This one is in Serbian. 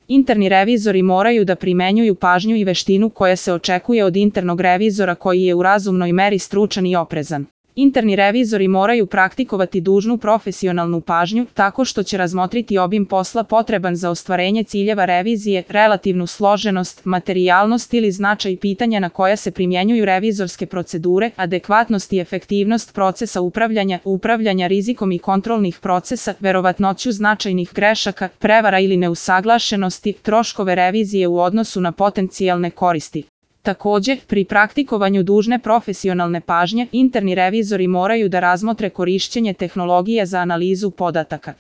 Interni revizori moraju da primenjuju pažnju i veštinu koja se očekuje od internog revizora koji je u razumnoj meri stručan i oprezan. Interni revizori moraju praktikovati dužnu profesionalnu pažnju tako što će razmotriti obim posla potreban za ostvarenje ciljeva revizije, relativnu složenost, materijalnost ili značaj pitanja na koja se primjenjuju revizorske procedure, adekvatnost i efektivnost procesa upravljanja rizikom i kontrolnih procesa, verovatnoću značajnih grešaka, prevara ili neusaglašenosti, troškove revizije u odnosu na potencijalne koristi. Takođe, pri praktikovanju dužne profesionalne pažnje, interni revizori moraju da razmotre korišćenje tehnologije za analizu podataka.